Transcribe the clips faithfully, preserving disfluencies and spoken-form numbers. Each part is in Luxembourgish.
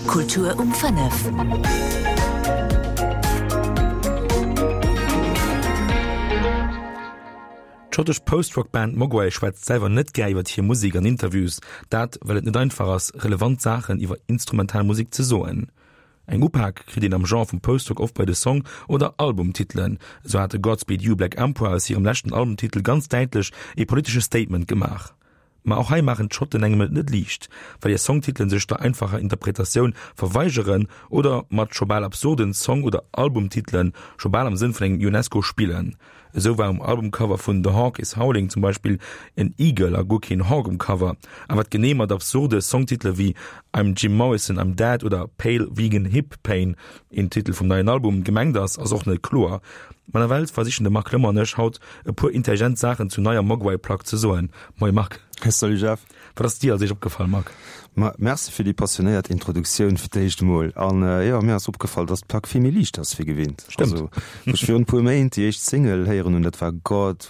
Kultur um fënnef. D'schottesch Post-Rock-Band Mogwai schwätzt selwer net gär iwwer hir Musek an Interviews, dat well et net einfach ass, relevant Saachen iwwer instrumental Musek ze soen. Eng Upak kritt een am Genre vum Post-Rock oft bei de Song oder Albumtitelen. Esou hate Godspeed You Black Emperor aus hirem leschten Albumtitel ganz däitlech ee politesche Statement gemaach. Ma och hei maachen d'Schotten engem et net liicht, well hir Songtitelen sech der einfacher Interpretatioun verweigeren oder mat scho bal absurden Song oder Albumtitelen scho bal am Sënn vun engem Ionesco spillen. Esou war um Albumcover vun The Hawk Is Howling zum Beispill en Eagle a guer keen Hawk um Cover. A wat genee mat absurde Songtitele wéi I'm Jim Morrison, I'm Dead oder Pale Vegan Hip Pain, een Titel vum neien Album, gemengt ass, ass och net kloer. Ma nawell versichen de Marc Clement an ech haut e puer intelligent Saachen zur neier Mogwai-Plack ze soen. Moie Marc. Salut Jeff. Wat ass dir als éischt opgefall, Marc? Ma merci fir déi passionéiert Introduktioun fir d'éischt emol. An jo, mir ass opgefall, dass d'Plack vill méi liicht ass wéi gewinnt. Stëmmt. Also, wou ech virun e puer Méint déi éischt Single héieren hunn, dat war God,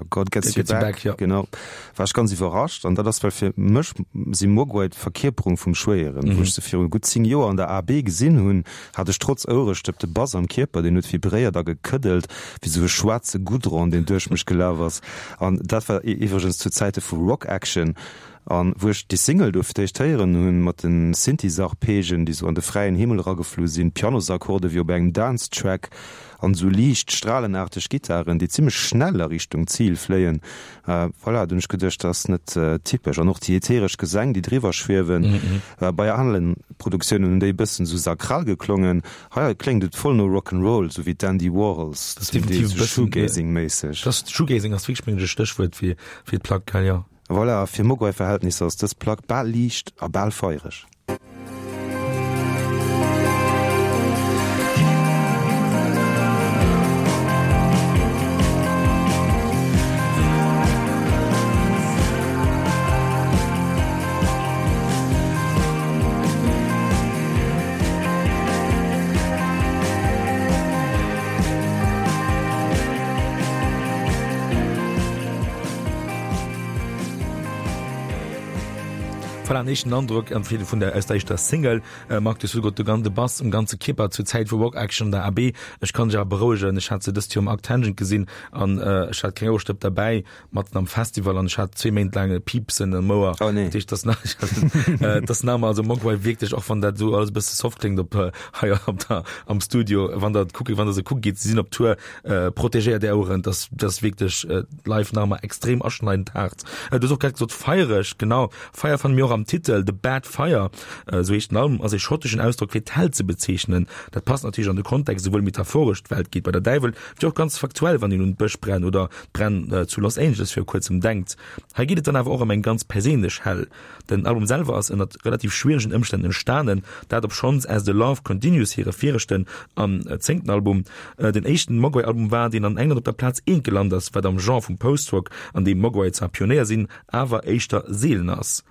God Gets You Back, ja. Genau, war ech ganz iwwerrascht. An dat ass, well fir mech si Mogwai d'Verkierperung vum Schwéieren. Wou ech se viru gutt zéng Joer an der A B gesinn hunn, hat ech trotz Ouerestëpp de Bass am Kierper, deen huet vibréiert a gekëddelt wéi sou e schwaarze Goudron, deen duerch mech gelaf ass. An dat war iwwregens zu Zäite vu Rock Action. An wou ech déi Single do fir d'éischt héieren hunn, mat de Synthiesarpegen, déi sou an de fräien Himmel erageflu sinn, Pianosakkorde wéi op engem Dance-Track an sou liicht stralenaarteg Gittaren, déi zimmlech schnell a Richtung Zil fléien, voilà, do hunn ech geduecht, dat ass net typesch. An och déi ätheresch Gesäng, déi driwwer schwiewen, bei aneren Produktiounen hunn déi e bëssen sou sakral geklongen, hei kléngt et voll no Rock 'n' Roll, sou wéi d'Andy Warhols, zum Deel sou Shoegazing-méisseg. Shoegazing ass wierklech, mengen ech, e Stéchwuert fir d'Plack, gell, jo. Voilà, fir Mogwai-Verhältnisser ass dës Plack bal liicht a bal feiereg. Voilà, en éischten Androck am Fir vun der aus der éischter Single. Äh, Marc, du hues gesot, de ganze Bass um ganze Kierper zur Zäit vu Rock Action an der A B. Ech kann dech awer berouegen, ech hat se dëst Joer um Arctangent gesinn an äh, ech hat keng Ouerstëpp derbäi, matten am Festival an ech hat zwee Méint laang e Piepsen am Ouer. Oh nee. Dat heescht, das nach, äh, das nach also Mogwai wierklech, och wann dat sou alles e bësse soft kléngt op äh, hei op der, am Studio, wann der kucke, wann der se kucke geet, si sinn op Tour, äh, protegéiert är Oueren, das, das wierklech äh, live nach emmer extrem aschneidend haart. Äh, du hues och grad gesot feiereg, genau, Feier fanne mir och am Titel, The Bad Fire, esou heescht den Album, ass ee schotteschen Ausdrock fir d'Hell ze bezeechnen. Dat passt natierlech an de Kontext, esouwuel metaphoresch, d'Welt geet bei der Däiwel, wéi och ganz faktuell, wann een un d'Bëschbränn oder d'Bränn zu Los Angeles viru kuerzem denkt. Hei geet et dann awer och ëm eng ganz perséinlech Hell. Den Album selwer ass ënnert relativ schwieregen Ëmstänn entstanen, dat obschonns As the Love Continues hire viregten an zéngten Album den éischten Mogwai-Album war, deen an England op der Plaz eent gelant ass, wat am Genre vum Post-Rock, an deem Mogwai zwar Pionéier sinn, awer éischter seelen ass.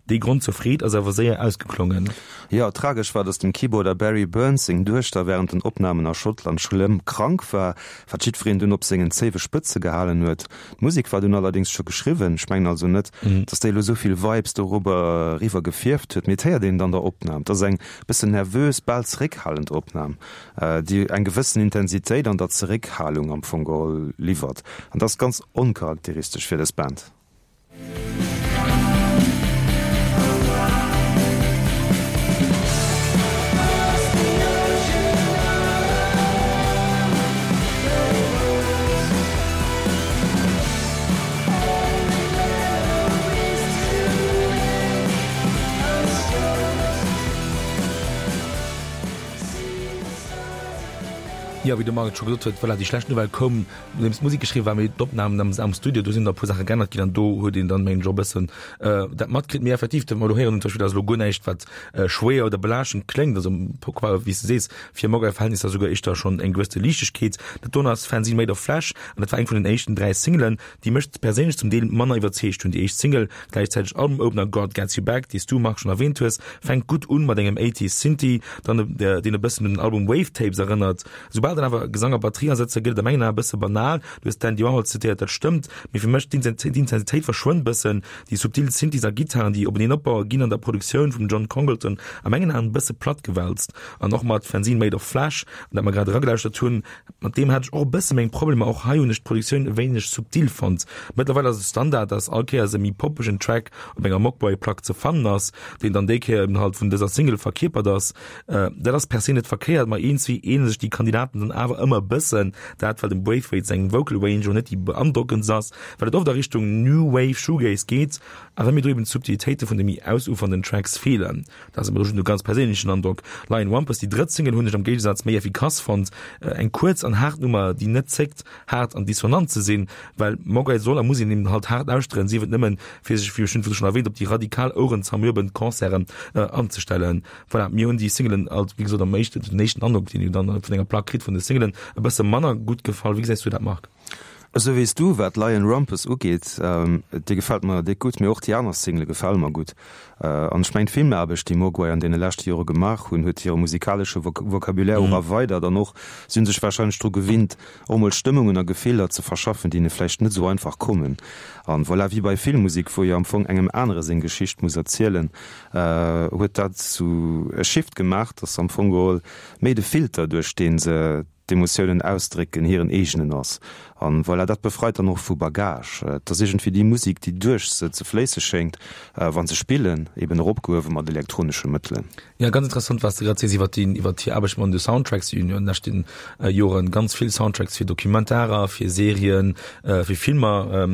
Dee Grond zur Freed ass awer séier ausgeklongen. Jo, tragesch war, datt dem Keyboarder Barry Burns seng Duechter wärend den Opnamen a Schottland schlëmm krank war, wat jiddwereen dunn op sengen zéiwe Spëtze gehalen huet. D'Musek war dunn allerdéngs scho geschriwwen. Ech mengen also net, datt déi elo esou vill Vibes dorobber eriwwer gefierft huet, mee et héiert een et an der Opnam. Et ass eng bëssen nervös, bal zeréckhalend Opnam, déi eng gewëssen Intensitéit an der Zeréckhalung am Fong geholl liwwert, an dat ass ganz oncharakteristesch fir dës Band. Jo, wéi de Marc et scho gesot huet, voilà, déi schlecht Nouvelle koum, nodeems d'Musek geschriwwen war, mee d'Opnamen am, am Studio, do sinn der e puer Saache geännert ginn an do huet een dann, mengen ech, och e bëssen dat matkritt. Mee effektiv, dat mer elo héieren hunn, zum Beispill, dat ass elo guer näischt, wat schwéier oder belaaschtend kléngt, also wéi s de sees, fir Mogwai-Verhältnisser souguer éischter schonn eng gewësse Liichtegkeet. Dat doen ass Fanzine Made of Flesh an dat war eng vun den éischten dräi Singlen, déi mech perséinlech zum Deel manner iwwerzeegt hunn. Déi éischt Single, gläichzäiteg Album-Opener God Gets You Back, déi s du, Marc, schonn erwähnt hues, fänkt gutt un mat engem Eighties Synthie, dann deen e bëssen un den Album Wave Tapes erënnert. Soubal Soubal dann awer Gesang a Batterie asetze gëtt et a mengen Aen e bësse banal. Du hues d'Andy Warhol zitéiert, dat stëmmt, mee fir mech d'Intensitéit verschwënnt bëssen. Déi subtil Synthies a Gittaren, déi openeen opbaue ginn an der Produktioun vum John Congleton a mengen Aen e bësse platt gewälzt. An och mat Fanzine Made of Flesh, an dat mer grad eragelauschtert hunn, mat deem hat ech och e bësse meng Problemer. Och hei hunn ech d'Produktioun e wéineg subtil fonnt. Mëttlerweil ass et Standard, dass all Kéiers e méi poppegen Track op enger Mogwai-Plack ze fannen ass, deen dann déi Kéier eben halt vun dëser Single verkierpert ass. Dat ass per se net verkéiert, ma iergendwéi ähnele sech déi Kandidaten dann awer ëmmer e bëssen. Dat well dem Braithwaite seng Vocal Range jo net déi beandrockendst ass, well et oft a Richtung New Wave Shoegaze geet a well mir do eben d'Subtilitéite vun de méi ausufernden Tracks feelen. Dat ass awer just e ganz perséinlechen Androck. Lion Rumpus, déi drëtt Single, hunn ech am Géigesaz méi effikass fonnt. Eng kuerz an haart Nummer, déi net zéckt, haart an dissonant ze sinn, well Mogwai soll a muss een eben halt haart lauschteren, sief et nëmmen, fir sech, wéi ech schonn erwähnt, op déi radikal ouerenzermürbend Concerten anzestellen. Voilà, mir hunn déi Singlen alt, wéi gesot, am éischten, den éischten Androck, deen een dann vun enger Plack kritt vun de Singlen, e bësse manner gutt gefall. Wéi gesäis du dat, Marc? Esou wéi s du, wat Lion Rumpus ugeet, déi gefält mer déck gutt, mee och déi aner Single gefale mer gutt. An ech mengen d'Filmaarbecht, déi Mogwai an deene leschte Jore gemaach hunn, huet hire musikalesche Vocabulaire och erweidert an och si hunn sech warscheinlech dru gewinnt, och mol Stëmmungen a Gefiller ze verschaffen, déi hinne vläicht net esou einfach kommen. An voilà, wéi bei Filmmusek, wou jo am Fong engem anere seng Geschicht muss erzielen, huet dat sou e Shift gemaach, dass am Fong geholl méi de Filter, duerch dee se d'Emotiounen ausdrécken, hiren eegenen ass. An voilà, dat befreit dann och vu Bagage. Et ass iergendwéi déi Musek, déi duerch se ze fléisse schéngt, wa se spillen, eben eropgehuewe mat elektronesche Mëttelen. Jo, ganz interessant, wat s de grad sees iwwer déi, iwwer hir Aarbecht mat de Soundtracks. Si hunn jo an de leschten Joren ganz vill Soundtracks fir Documentarer, fir Serien, fir Filmer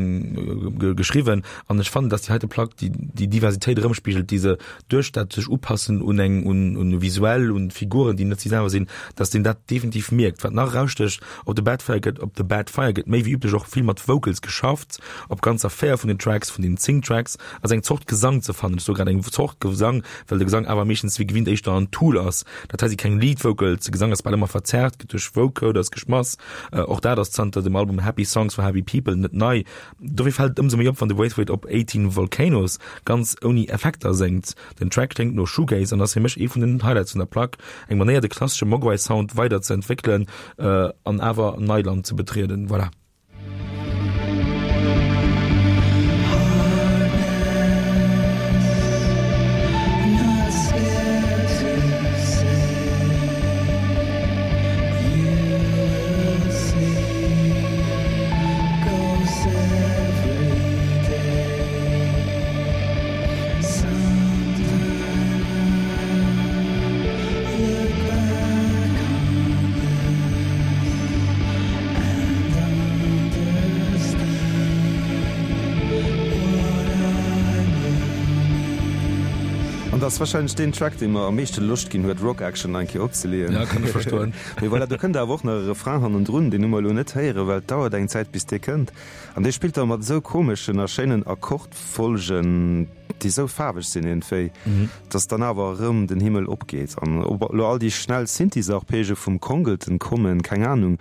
geschriwwen. An ech fannen, dass déi heite Plack déi, déi Diversitéit erëmspigelt, déi se duerch dat sech upassen un eng, un, un visuell, un Figuren, déi net si selwer sinn, dass een dat definitiv mierkt. Wat nach erausstécht, op The Bad Fire gëtt, op The Bad Fire gëtt méi wéi üblech och vill mat Vocals geschafft. Op ganzer véier vun den Tracks, vun den zéng Tracks, ass eng Zort Gesang ze fannen. Ech soe grad eng Zort Gesang, well de Gesang awer meeschtens wéi gewinnt éischter en Tool ass. Dat hei si keng Lead Vocals, de Gesang ass bal ëmmer verzerrt, gëtt duerch Vocoders geschmass. Och dat ass zanter dem Album Happy Songs for Happy People net nei. Dofir fält et ëmsou méi op, wann de Braithwaite op Eighteen Volcanoes ganz ouni Effekter séngt. Den Track kléngt no Shoegaze an ass fir mech ee vun den Highlights vun der Plack. Eng Manéier de klassesche Mogwai-Sound weider ze entwéckelen an awer Neiland ze betrieden. Voilà. An dat ass wahrscheinlech deen Track, dee mer am meeschte Loscht ginn huet, Rock Action eng Kéier opzeleeën. Ja, kann ech verstoen. Mee voilà, do kënnt awer och nach e Refrain hannendrun, deen hu mer elo net héieren, well et dauert eng Zäit, bis dee kënnt. An dee spillt da mat esou komeschen a schéinen Akkordfolgen, déi esou faarweg sinn iergendwéi, dass dann awer erëm den Himmel opgeet. An ob elo all déi schnell Synthes-Arpege vum Congleton kommen, keng Anung,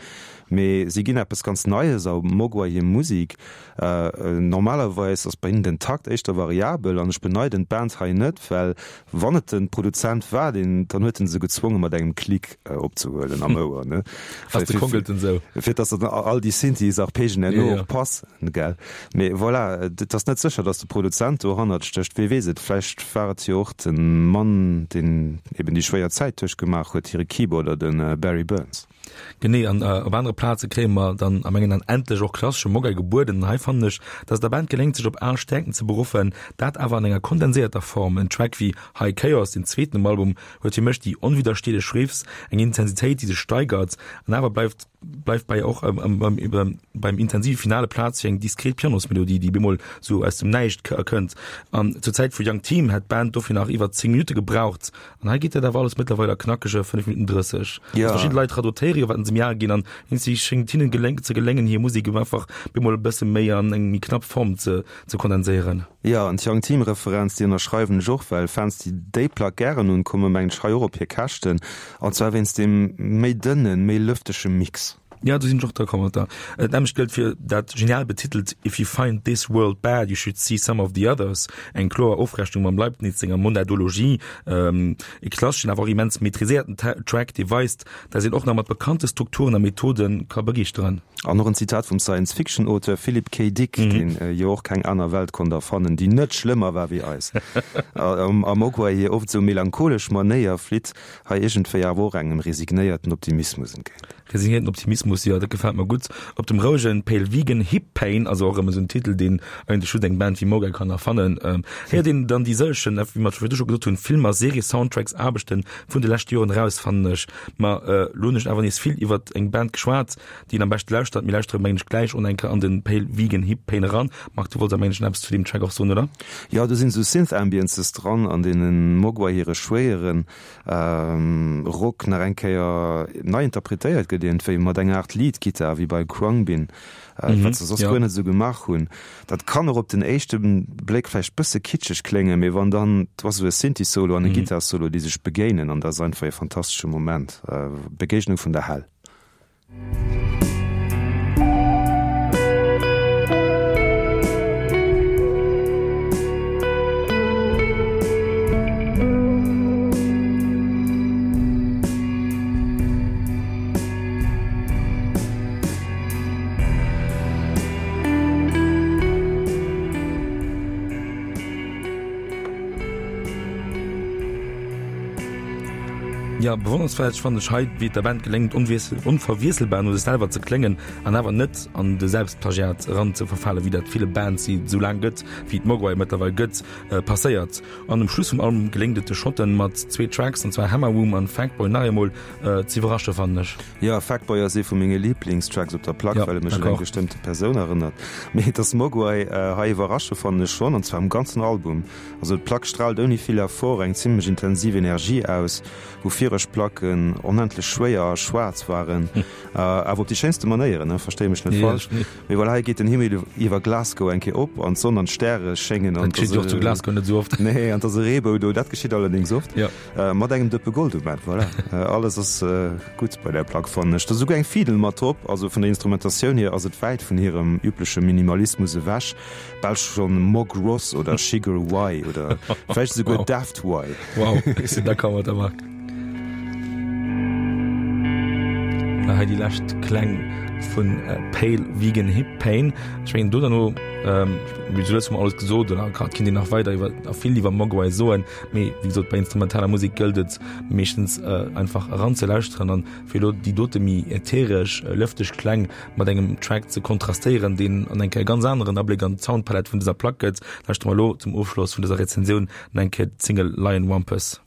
mee si ginn eppes ganz Neies a Mogwai hir Musik. Normalerweis ass bei hinnen den Takt éischter variabel an ech beneiden d'Band hei net, well wann et de Produzent war, deen, dann huet en se gezwonge mat engem Klick opzehuelen am Ouer, ne? Ass de Congleton sou? Fir dass dann all déi Synthes Arpegen herno och passen, gell? Mee voilà, et ass net sécher, dass de Produzent dohannert stécht. Wee weess et, vläicht war et jo och de Mann, deen eben déi schwéier Zäit duerchgemaach huet, hire Keyboarder, de Barry Burns. Genee, an op anere Plaze kréie mer dann a mengen An endlech och klassesche Mogwai gebueden. An hei fannen ech, dass et der Band geléngt, sech op al Stäerkten ze beruffen, dat awer an enger kondenséierter Form. En Track wéi High Chaos, deen zweeten um Album, huet fir mech déi onwiddersteelech Riffs, eng Intensitéit, déi sech steigert, an awer bleift bleift bei och beim intensive Finale Plaz fir eng diskret Pianosmelodie, déi bemol sou aus dem Näischt kënnt. An zur Zäit vu Young Team hätt d'Band dofir nach iwwer zéng Minutte gebraucht. An hei geet dat awer alles mëttlerweil a knackege fënnef Minutten drësseg. Ja. Also verschidde Leit radotéiere jo, wat se méi al ginn, an iergendwéi schéngt hinnen geléng ze geléngen, hir Musek eben einfach bemol e bësse méi an eng méi knapp Form ze ze kondenséieren. Jo, an d'Young Team Referenz, déi ënnerschreiwen ech och, well Fans, déi déi Plack gären hunn, komme mengen ech hei och op hir Käschten, an zwar wéinst deem méi dënnen, méi lëftege Mix. Ja, do sinn ech och d'accord mat der. Dat nämmlecht gëllt fir dat genial betitelt If you find this world bad, you should see some of the others, eng kloer Ofrechnung mam Leibniz senger Monadologie. E klasseschen, awer och immens maîtriséierten Track, dee weist, dass een och nach mat bekannte Strukturen a Methode ka begeeschteren. An och en Zitat vum Science-Fiction-Auteur Philip K. Dick, deen jo och keng aner Welt konnt erfannen, déi net schlëmmer war wéi eis. A Mogwai hir oft esou melancholesch Manéier flitt hei iergendwéi awer och engem resignéierten Optimismus entgéint. Resignéierten Optimismus, jo, dat gefält mer gutt. Op dem rouegen Pale Vegan Hip Pain, also och erëm esou en Titel, deen eigentlech just eng Band wéi Mogwai kann erfannen, héiert een dann déi sëllegen, wéi mer scho virdu scho gesot hunn, Film a Serie-Soundtracks, Aarbechten vun de leschte Joren eraus, fannen ech. Ma elo hunn ech awer nees vill iwwert eng Band geschwat, déi een am beschte lauschtert. Mir lauschtere mengen ech gläich och eng Kéier an de Pale Vegan Hip Pain eran. Marc, du wollts awer mengen ech nach eppes zu deem Track och soen, oder? Jo, do sinn esou Synth-Ambiences dran, an deenen Mogwai hire schwéieren Rock nach eng Kéier nei interpretéiert gëtt, iergendwéi mat enger Aart Lead-Gittar, wéi bei Khruangbin, wat se soss guer net esou gemaach hunn. Dat kann och op den éischte Bléck vläicht bësse kitscheg kléngen, mee wann dann, do ass esou e Synthi-Solo an e Gittar-Solo, déi sech begéinen, an dat ass einfach e fantastesche Moment, Begegnung vun der Hell. Jo, bewonnernswäert fannen ech hei, wéi et der Band geléngt, onverwiesselbar no sech selwer ze kléngen an awer net an de Selbstplagiat eran ze verfalen, wéi dat ville Bands, déi et esou laang gëtt, wéi et Mogwai mëttlerweil gëtt, passéiert. An um Schluss vum Album geléngt et de Schotten mat zwee Tracks, an zwar Hammer Womb an Fuckboy, nach eemol ze iwwerrasche fannen ech. Jo, Fuckboy ass ee vu menge Liblingstracks op der Plack, well e mech un eng bestëmmte Persoun erënnert. Mee dass Mogwai hei iwwerrasche fannen ech schonn, an zwar um ganzen Album. Also d'Plack straalt ouni vill Effort eng zimmlech intensiv Energie aus, wou viregt Placken onendlech schwéier a schwaarz waren, awer op déi schéinste Manéieren, ne, verstéi mech net falsch. Mee voilà, hei geet den Himmel iwwer Glasgow eng Kéier op an d'Sonn an d'Stäre schéngen an Dat geschitt jo och zu Glasgow net esou oft. Nee, an 't ass e Reebou do, dat geschitt allerdéngs oft, mat engem Dëppe Gold um Enn. Voilà, alles ass gutt bei där Plack, fannen ech. Et ass esouguer eng Fiddel mat drop, also vun der Instrumentatioun hier ass et wäit vun hirem übleche Minimalismus ewech. Bal schonn Mog Ross oder Shigeru Y oder vläicht esouguer Daft Y. Wow, ech sinn d'accord mat der Marc. Hei déi lescht Kläng vun Pale Vegan Hip Pain. Ech mengen do derno, wéi gesot, hu mer alles gesot oder grad kinnt een nach weider iwwer a vill iwwer Mogwai soen, mee wéi gesot bei instrumentaler Musek gëllt et meeschtens einfach eranzelauschteren an fir elo déi dote méi ätheresch, lëfteg Kläng mat engem Track ze kontrastéieren, deen an eng Kéier e ganz aneren Abléck an d'Soundpalett vun dëser Plack gëtt, lauschtere mer elo zum Ofschloss vun dëser Rezensioun nach eng Kéier d'Single Lion Wampus.